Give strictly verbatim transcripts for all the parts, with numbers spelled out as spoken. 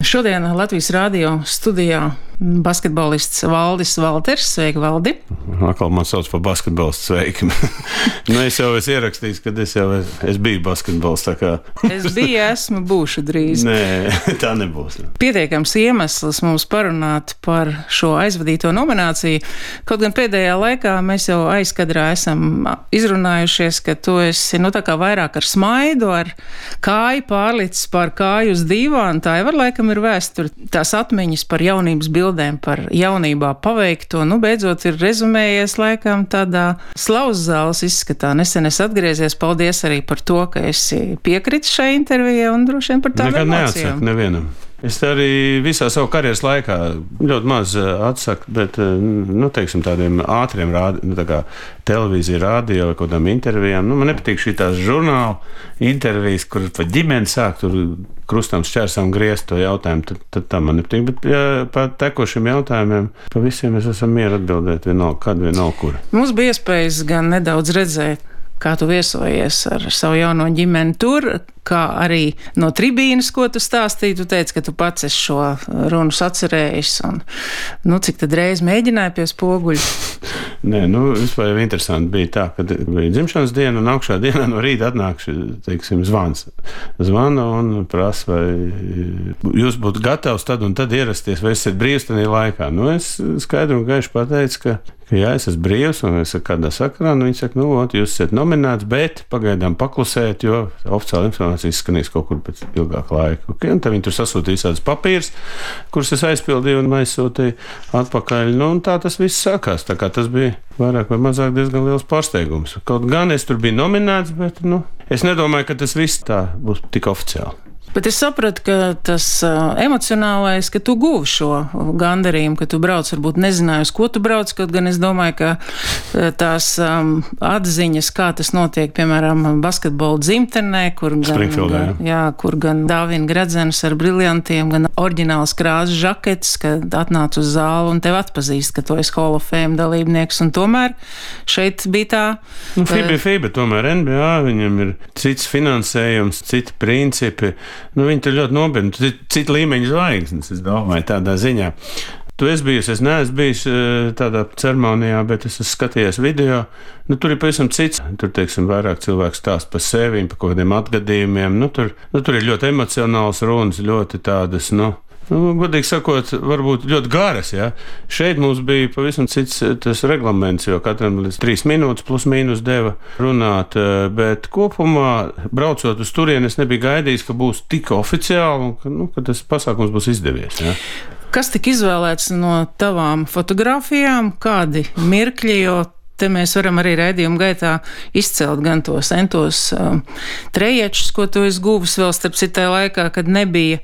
Šodien Latvijas radio studijā basketbolists Valdis Valters. Sveiki, Valdi! Atkal man sauc par basketbolistu. Sveiki! Nu, es jau esmu ierakstījis, ka es jau es, es biju basketbolists. Kā... es biju, esmu, būšu drīz. Nē, tā nebūs. Ne. Pietiekams iemesls mums parunāt par šo aizvadīto nomināciju. Kaut gan pēdējā laikā mēs jau aizkadrā esam izrunājušies, ka tu esi nu, tā kā vairāk ar smaidu, ar kāju pārlicis pār kāju uz dīvānu. Tā jau ar laikam ir vēsture. Tās atmiņas par jaunības bildēm, par jaunībā paveikto, nu, beidzot ir rezumējies laikam tādā slavas zāles izskatā. Nesen es atgriezies, paldies arī par to, ka esi piekritis šai intervijai un droši vien par tādām emocijām. Nekad neatsaku nevienam. Es arī visā savu karjeras laikā ļoti maz atsaku, bet, nu, teiksim, tādiem ātriem rādi, nu, tā kā televīzija, radio vai kādām intervijām. Nu, man nepatīk šī tās žurnāla intervijas, kur pa ģimeni sāk tur krustām šķērsām griezt to jautājumu, tad, tad tā man nepatīk. Bet ja, par tekošiem jautājumiem, pa visiem mēs esam mieru atbildēt vienalga, kad vienalga kur. Mums bija iespējas gan nedaudz redzēt, kā tu viesojies ar savu jauno ģimeni tur, kā arī no tribīnes, ko tu stāstīji. Tu teici, ka tu pats esi šo runu sacerējis un, nu, cik tad reiz mēģināji pie spoguļa? Nē, nu, vispār jau interesanti bija tā, ka bija dzimšanas diena un augšā dienā no rīta atnāk, teiksim, zvans. Zvana un prasa, vai jūs būtu gatavs tad un tad ierasties, vai esat brīvs tajā laikā. Nu, es skaidru un gaišu pateicu, ka, ka jā, es esmu brīvs un es esmu kādā sakarā, un viņi saka, nu, ot, jūs esat nominēts, bet pagaidām paklusēt, jo oficiāla informācija izskanīs kaut kur pēc ilgāka laika. Okay? Un tad viņi tur sasūtīja visādas papīras, kurus es aizpildīju un aizsūtīju atpakaļ. Nu, un tā tas viss sākās. Tā kā tas bija vairāk vai mazāk diezgan liels pārsteigums. Kaut gan es tur biju nominēts, bet nu, es nedomāju, ka tas viss tā būs tik oficiāli. Bet es sapratu, ka tas uh, emocionālais, ka tu guvi šo gandarījumu, ka tu brauc, varbūt nezināji, uz ko tu brauc, kaut gan es domāju, ka uh, tās um, atziņas, kā tas notiek, piemēram, basketbola dzimtenē, kur gan, gan, jā, kur gan Dāvina Gredzenes ar briljantiem, gan oriģināls krāsas žaketes, kad atnāc uz zāli un tev atpazīst, ka tu esi Hall of Fame dalībnieks, un tomēr šeit bija tā... Nu, FIBA, uh, FIBA, tomēr N B A, viņam ir cits finansējums, citi principi. Nu, viņi tur ļoti nopietni, citu līmeņu zvaigznes, es domāju, tādā ziņā. Tu esi bijusi, es neesmu bijis tādā ceremonijā, bet es esmu skatījies video. Nu, tur ir pavisam cits. Tur, teiksim, vairāk cilvēku stāst par sevi, par kaut kādiem atgadījumiem. Nu, tur, nu, tur ir ļoti emocionāls runas, ļoti tādas, nu, Nu, godīgi sakot, varbūt ļoti garas. Ja? Šeit mums bija pavisam cits tas reglaments, jo katram līdz trīs minūtes plus mīnus deva runāt, bet kopumā, braucot uz turieni, es nebiju gaidījis, ka būs tik oficiāli un ka, nu, ka tas pasākums būs izdevies. Ja? Kas tika izvēlēts no tavām fotogrāfijām? Kādi mirkļi, jo te mēs varam arī raidījuma gaitā izcelt gan tos entos um, treječus, ko tu esi guvis vēl starp citai laikā, kad nebija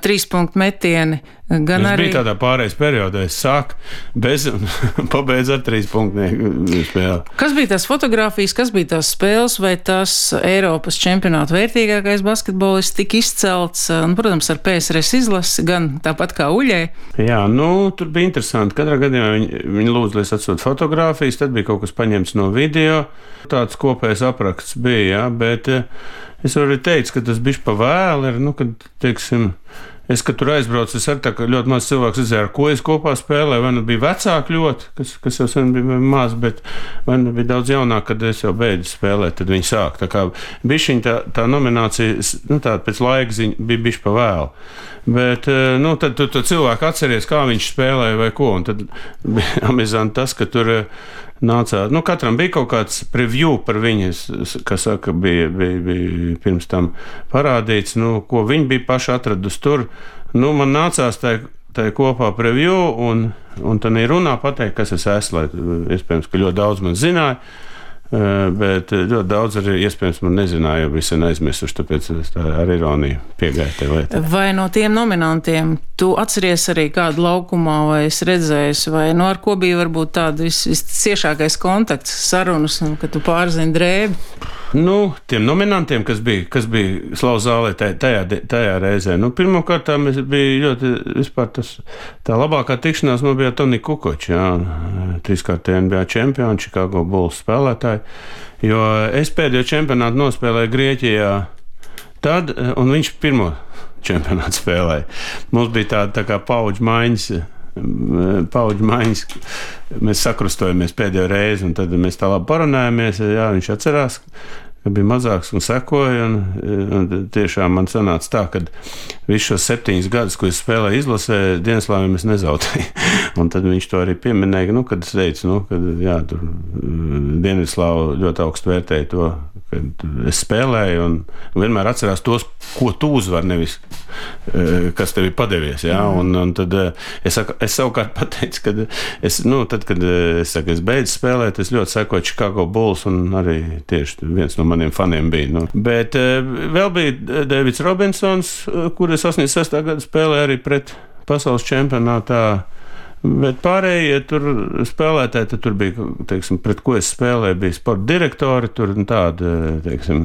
trīspunktu metieni. Gan es arī biju tādā pārējais periodā, es sāku bez un pabeidzu ar trīs punktnieku spēli. Kas bija tās fotogrāfijas, kas bija tās spēles, vai tas Eiropas čempionāta vērtīgākais basketbolists tika izcelts, un, protams, ar P S R S izlasi, gan tāpat kā Uļai? Jā, nu, tur bija interesanti. Katrā gadījumā viņi, viņi lūdza, lai es atsūtu fotogrāfijas, tad bija kaut kas paņemts no video. Tāds kopējs apraksts bija, jā, bet es varu teikt, ka tas bišķi pa vēlu ir, nu, kad, teiksim, es, kad tur aizbraucu, es arī tā, ka ļoti maz cilvēks redzēju, ar ko es kopā spēlēju. Vai nu bija vecāki ļoti, kas, kas jau sen bija maz, bet vai nu bija daudz jaunāk, kad es jau beidzu spēlēt, tad viņi sāk. Tā kā bišķiņ tā, tā nominācija, nu tā pēc laika ziņa bija bišķi pa vēlu. Bet, nu, tad tu, tu cilvēku atceries, kā viņš spēlēja vai ko, un tad bija amizanti tas, ka tur nācā, nu, katram bija kaut kāds preview par viņu, kas saka, bija, bija, bija pirms tam parādīts, nu, ko viņi bija paši atradusi tur. Nu, man nācās tai, tai kopā preview un, un tad runā pateikt, kas es esmu, lai iespējams, ka ļoti daudz man zināja, bet ļoti daudz arī iespējams man nezināja, jo bija sen aizmirsuši, tāpēc es tā ar ironiju piegāju tai lietai. Vai no tiem nominantiem tu atceries arī kādu laukumā vai es redzējis, vai no ar ko bija varbūt tāda vis, visciešākais kontakts, sarunas, un, ka tu pārzini drēbi? Nu, tiem nominantiem, kas bija, kas bija Slavas zālē tajā, tajā reizē, nu, pirmkārt, mēs bija ļoti, vispār tas, tā labākā tikšanās man bija Toni Kukoč, jā, trīskārtēji N B A čempioni, Chicago Bulls spēlētāji, jo es pēdējo čempionātu nospēlēju Grieķijā tad, un viņš pirmo čempionātu spēlēja. Mums bija tāda tā kā paudžu maiņas, paudžu maiņas, mēs sakrustojamies pēdējo reizi, un tad mēs tā labi parunājāmies, jā, viņš atcerās, ka bija mazāks un sekoja, un, un tiešām man sanāca tā, ka visus šos septiņus gadus, ko es spēlēju izlasē, Dienaslāviem es nezaudēju. Un tad viņš to arī pieminēja, nu, kad es teicu, nu, kad, jā, tur Dienaslāvu ļoti augstu vērtēja to, kad es spēlēju, un vienmēr atcerās tos, ko tu uzvar, nevis kas tev ir padevies, jā, un, un tad es, es savukārt pateicu, kad es, nu, tad, kad es, saku, es beidzu spēlēt, es ļoti sekoju Chicago Bulls, un arī tieši viens no maniem faniem bija, nu. Bet vēl bija Davids Robinsons, kur es astoņdesmit sestā gada spēlēju arī pret pasaules čempionātā. Bet pārējie tur spēlētāji, tad tur bija, teiksim, pret ko es spēlēju, bija sporta direktori, tur tādi, teiksim,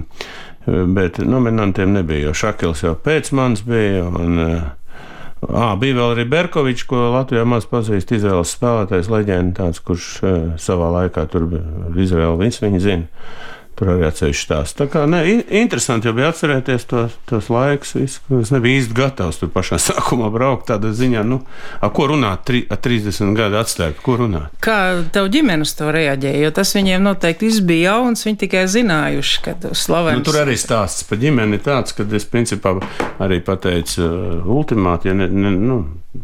bet nominantiem nebija, jo Šakils jau pēc manis bija, un ā, bija vēl arī Berkovičs, ko Latvijā maz pazīst, Izraēlas spēlētājs, leģenda tāds, kurš savā laikā tur bija Izraēla, viņš viņu zina. Tur arī atsevišķi stāsts. Tā kā, ne, interesanti jau bija atcerēties tos, tos laikus, visu. Es nebiju īsti gatavs tur pašā sākumā braukt tādā ziņā, nu, ar ko runāt tri, ar trīsdesmit gadu atstēpu, ko runāt? Kā tev ģimenes to reaģēja, jo tas viņiem noteikti viss bija jauns, viņi tikai zinājuši, ka tu slavens. Nu, tur arī stāsts par ģimeni tāds, kad es principā arī pateicu uh, ultimāti, ja ne, ne, nu,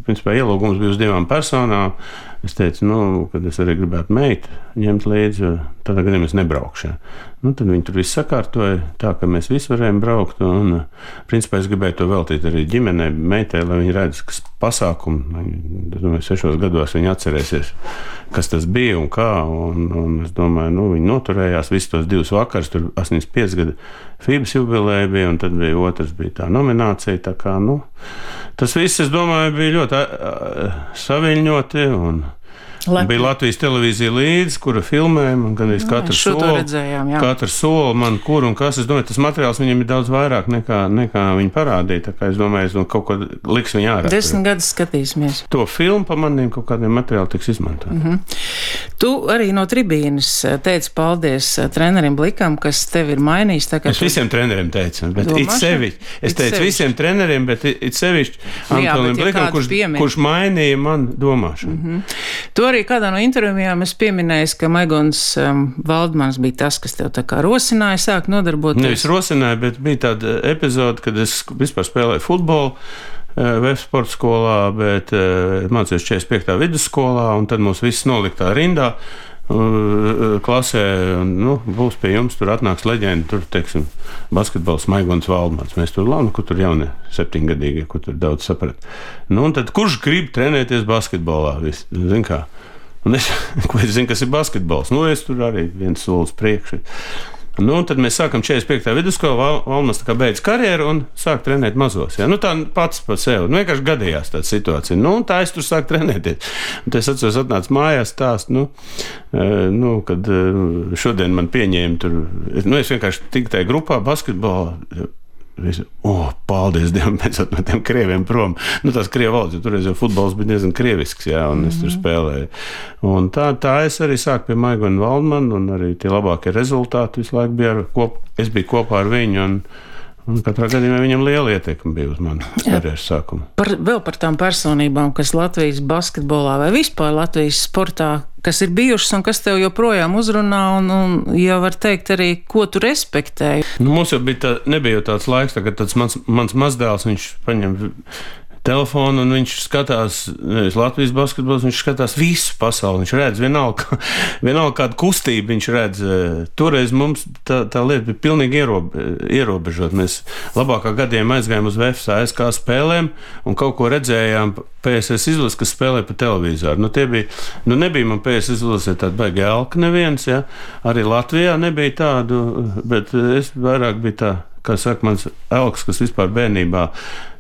principā ielūgums bija uz divām personām. Es teicu, nu, kad es arī gribētu meitu ņemt līdzi, tādā gadījumā es nebraukšu. Nu, tad viņi tur viss sakārtoja tā, ka mēs visi varējām braukt. Un, principā, es gribēju to veltīt arī ģimenei, meitai, lai viņi redz, kas pasākumu. Es domāju, sešos gados viņi atcerēsies, kas tas bija un kā. Un, un es domāju, nu, viņi noturējās visus tos divus vakars, tur astoņdesmit pieci gadu Fibas jubileja bija, un tad bija otrs, bija tā nominācija. Tā kā, nu, tas viss, es domāju, bija ļoti saviļņoti. Un Latvijas. Bija Latvijas televīzija līdzi, kura filmēja man gandrīz katru soli. Katru soli man, kur un kas. Es domāju, tas materiāls viņam ir daudz vairāk nekā, nekā viņi parādīja. Tā kā es domāju, es domāju, kaut ko liks viņa ārā. Desmit gadus skatīsimies. To filmu pa maniem kaut kādiem materiāli tiks izmantot. Mm -hmm. Tu arī no tribīnes teici paldies trenerim Blikam, kas tev ir mainījis. Tā kā es tu... visiem treneriem teicu, bet it sevišķi. Es teicu sevišķi. visiem treneriem, bet it sevišķi Antonim Blikam, kurš, kurš mainīja man domāšanu. Mm -hmm. Tu arī kādā no intervijām es pieminēju, ka Maigons um, Valdmans bija tas, kas tev tā kā rosināja sākt nodarboties. Nevis rosināja, bet bija tāda epizode, kad es vispār spēlēju futbolu Vēf sporta skolā, bet uh, mācījos četrdesmit piektā vidusskolā, un tad mūs visus noliktā rindā uh, klasē, un, nu, būs pie jums, tur atnāks leģenda, tur, teiksim, basketbols Maigons Valdmans. Mēs tur labi, nu, kur tur jaunie septiņgadīgi, kur tur daudz saprat. Nu, un tad kurš grib trenēties basketbolā? Viss, zin kā? Un es, ko es zinu, kas ir basketbols? Nu, es tur arī viens solis priekšu. Nu, tad mēs sākam četrdesmit piektā vidusskolā, Valmans tā kā beidz karjeru un sāk trenēt mazos. Ja? Nu, tā pats par sevi. Nu, vienkārši gadījās tāda situācija. Nu, un tā es tur sāku trenēties. Un es atceros, atnācu mājās stāst, nu, nu, kad šodien man pieņēma tur, nu, es vienkārši tiku tajā grupā basketbolā. Visu, oh, paldies Dievam, beidzot no tiem krieviem prom. Nu, tās krievu valodas, jo toreiz jau futbols bija diezgan krievisks, jā, un es tur spēlēju. Un tā, tā es arī sāku pie Maigona Valdmana, un arī tie labākie rezultāti visu laiku bija ar, kop, es biju kopā ar viņu, un, un katrā gadījumā viņam liela ietekme bija uz mani karjeras sākumu. Par, vēl par tām personībām, kas Latvijas basketbolā vai vispār Latvijas sportā, kas ir bijušas un kas tev joprojām uzrunā, un, un ja var teikt arī, ko tu respektēji. Nu, mums jau bija tā, nebija jau tāds laiks, tagad tāds mans, mans mazdēls, viņš paņem telefonu, un viņš skatās, nevis Latvijas basketbols, viņš skatās visu pasauli. Viņš redz vienalga, vienalga kādu kustību, viņš redz. Toreiz mums tā, tā lieta bija pilnīgi ierobe, ierobežot. Mēs labākā gadiem aizgājām uz Vēf A S K spēlēm un kaut ko redzējām P S S izlasi, kas spēlē pa televizoru. Nu, tie bija, nu nebija man P S S izlasē tāda baigi elka neviens, ja? Arī Latvijā nebija tādu, bet es vairāk biju tā, kā saka, mans elks, kas vispār bērnībā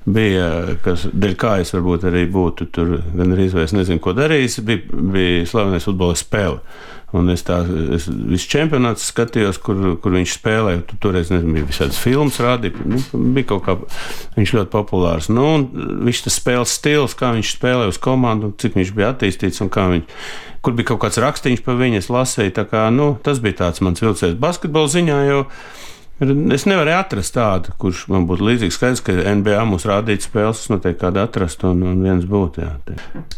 bija, kas dēļ kā es varbūt arī būtu tur gan arī es nezinu, ko darījis, bija, bija slavenais futbola spēle. Un es tā, es visu čempionāts skatījos, kur, kur viņš spēlēja. Tur toreiz, nezinu, bija visādas filmas rādīja. Nu, bija kaut kā, viņš ļoti populārs. Nu, un viņš tas spēles stils, kā viņš spēlēja uz komandu, cik viņš bija attīstīts un kā viņš, kur bija kaut kāds rakstīņš par viņu, es lasēju. Tā kā, nu, tas bija tāds mans vilcējs basketbola ziņā, jo Es nevaru atrast tādu, kurš man būtu līdzīgs. Skaidrs, ka N B A mums rādītu spēles, es noteikti kādu atrastu un, un viens būtu. Jā.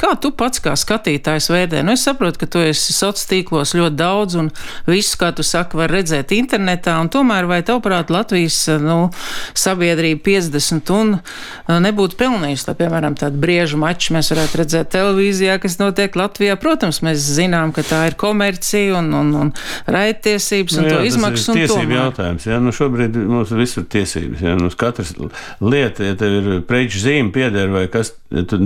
Kā tu pats kā skatītājs vērtē? Nu, es saprotu, ka tu esi sociālos tīklos ļoti daudz un visu, kā tu saki, var redzēt internetā, un tomēr vai tavuprāt Latvijas nu, sabiedrība piecdesmit un nebūtu pelnījusi, lai, piemēram, tādu briežu maču mēs varētu redzēt televīzijā, kas notiek Latvijā. Protams, mēs zinām, ka tā ir komercija un, un, un raidtiesības un nu, jā, to izmaksas un tiesību tomēr. Jautājums, jā, nu šobrīd mums ir visur tiesības, jā, nu katras lieta, ja tev ir preču zīme pieder vai kas, tu,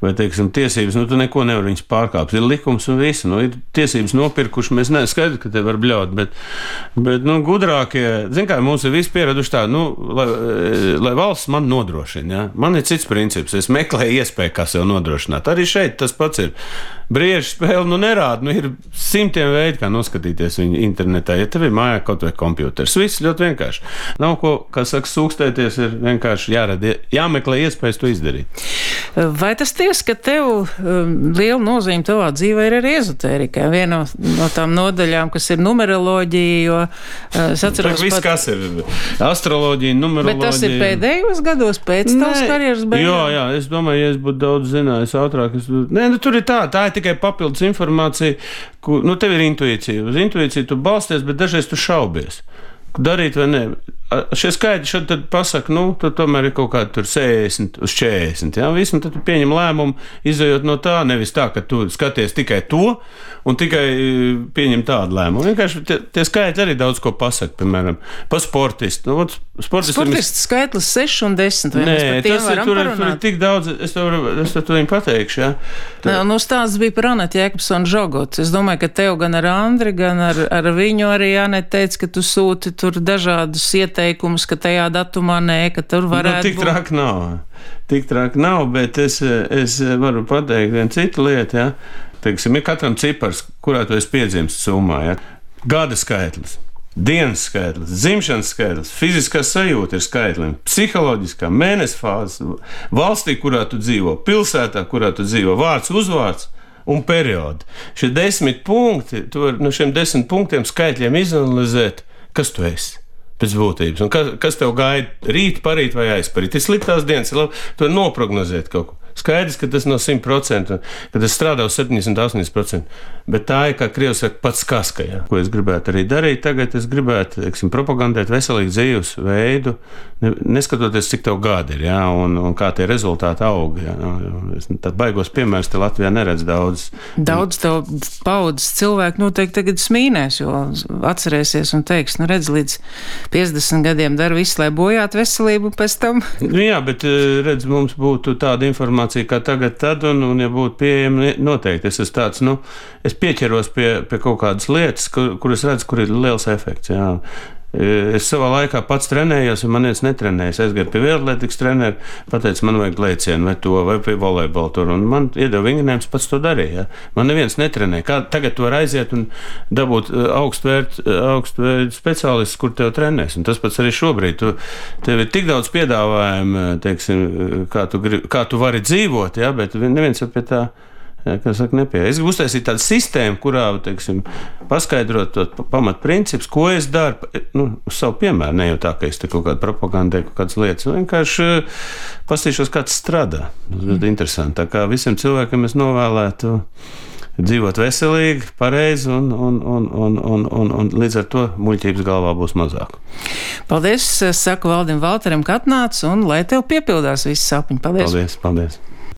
vai, teiksim, tiesības, nu tu neko nevar viņas pārkāpt. Ir likums un visu, nu ir tiesības nopirkuši, mēs neskaidri, ka te var bļaut, bet, bet, nu, gudrākie, zin kā, mums ir visi pieraduši tā, nu, lai, lai valsts man nodrošina, jā. Man ir cits princips, es meklēju iespēju, kā sev nodrošināt. Arī šeit tas pats ir. Briežu spēle, nu, nerāda, nu, ir simtiem veidi, kā noskatīties viņu internetā, ja tev ir mājā kaut vai kompjuters. Viss ļoti vienkārši. Nav ko, kā saka, sūkstēties, ir vienkārši jārada, jāmeklē iespējas to izdarīt. Vai tas tiesa, ka tev um, liela nozīme tavā dzīvē ir arī ezotērika? Viena no, no tām nodaļām, kas ir numeroloģija, jo uh, es atceros viss, pat... kas ir astroloģija, numeroloģija. Bet tas ir pēdējos gados pēc tavas karjeras beigām? Jā, jā, es domāju, ja es būtu daudz zinājis ātrāk, es būtu... Nē, nu, tur ir tā, tā ir tikai papildus informācija, kur, nu, tev ir intuīcija. Uz intuīciju tu balsties, bet dažreiz tu šaubies. Darīt vai nē. Šie skaitļi šeit tad pasaka, nu, tad tomēr ir kaut kādi tur sešdesmit uz četrdesmit, jā, viss, un tad tu pieņem lēmumu, izējot no tā, nevis tā, ka tu skaties tikai to un tikai pieņem tādu lēmumu. Vienkārši tie, tie skaitļi arī daudz ko pasaka, piemēram, pa sportistu. Nu, sportistu Sportists mēs... skaitlis seši un desmit, vai nē, mēs par tiem tas varam ir, tur, parunāt? Tur ir tik daudz, es tev, es tev to viņu pateikšu, jā. Tā... Nu, stāsts bija par Anetu Jēkabsonu Žogotu. Es domāju, ka tev gan ar Andri, gan ar, ar viņu arī Aneta teica, ka tu sūti tur dažādus ieteikumus, ka tajā datumā nē, ka tur varētu nu, tik būt. Traki nav. Tik traki nav, bet es, es varu pateikt vienu citu lietu, ja. Teiksim, ir katram cipars, kurā tu esi piedzimis summā, ja. Gada skaitlis, dienas skaitlis, dzimšanas skaitlis, fiziskā sajūta ir skaitlim, psiholoģiskā, mēnesi fāzes, valstī, kurā tu dzīvo, pilsētā, kurā tu dzīvo, vārds, uzvārds un periodi. Šie desmit punkti, tu vari no šiem desmit punktiem skaitļiem izanalizēt, kas tu esi. Pēc būtības. Un kas, kas tev gaida rīt, parīt vai aizparīt? Ir sliktās dienas, ir labi, tu vari noprognozēt kaut ko. Skaidrs, ka tas nav simt procenti, ka tas strādā uz septiņdesmit, astoņdesmit procenti. Bet tā ir, kā Krievs saka, pats kaskajā. Ko es gribētu arī darīt tagad, es gribētu, teiksim, propagandēt veselīgu dzīves veidu, neskatoties, cik tev gadi ir, jā, un, un kā tie rezultāti aug. Jā. Tad baigos piemērs te Latvijā neredz daudz. Daudz tev paudzes cilvēku noteikti tagad smīnēs, jo atcerēsies un teiks, nu redz, līdz piecdesmit gadiem dara visu, lai bojātu veselību pēc tam. Nu jā, bet redz, mums būtu tāda informācija, kā tagad, tad, un, un ja būtu pieejama, noteikti. Es esmu tāds, nu, es pieķeros pie, pie kaut kādas lietas, kur, kur es redzu, kur ir liels efekts, jā. Es savā laikā pats trenējos, un man viens netrenējas. Es gāju pie vieglatlētikas treneru, pateicu, man vajag lēcienu vai to, vai pie volejbola tur, un man iedeva vingrinājums, pats to darīja. Ja? Man neviens netrenēja. Kā tagad tu vari aiziet un dabūt augstvērt, augstvērt speciālistus, kur tev trenēs. Un tas pats arī šobrīd. Tu, tev ir tik daudz piedāvājumu, teiksim, kā tu, grib, kā tu vari dzīvot, ja? Bet neviens jau pie tā. Jā, kā saka, nepieeja. Es gribu uztaisīt tādu sistēmu, kurā, teiksim, paskaidrot to pamatprincips, ko es daru, nu, uz savu piemēru, ne jau tā, ka es te kaut kādu propagandēju, kaut kādas lietas, vienkārši pastīšos, kā tas strādā. Tas ir interesanti. Tā kā visiem cilvēkiem es novēlētu dzīvot veselīgi, pareizi, un, un, un, un, un, un, un līdz ar to muļķības galvā būs mazāk. Paldies, saku Valdim Valteram, ka atnāc, un lai tev piepildās visi sapņi. Paldies! Paldies, paldies!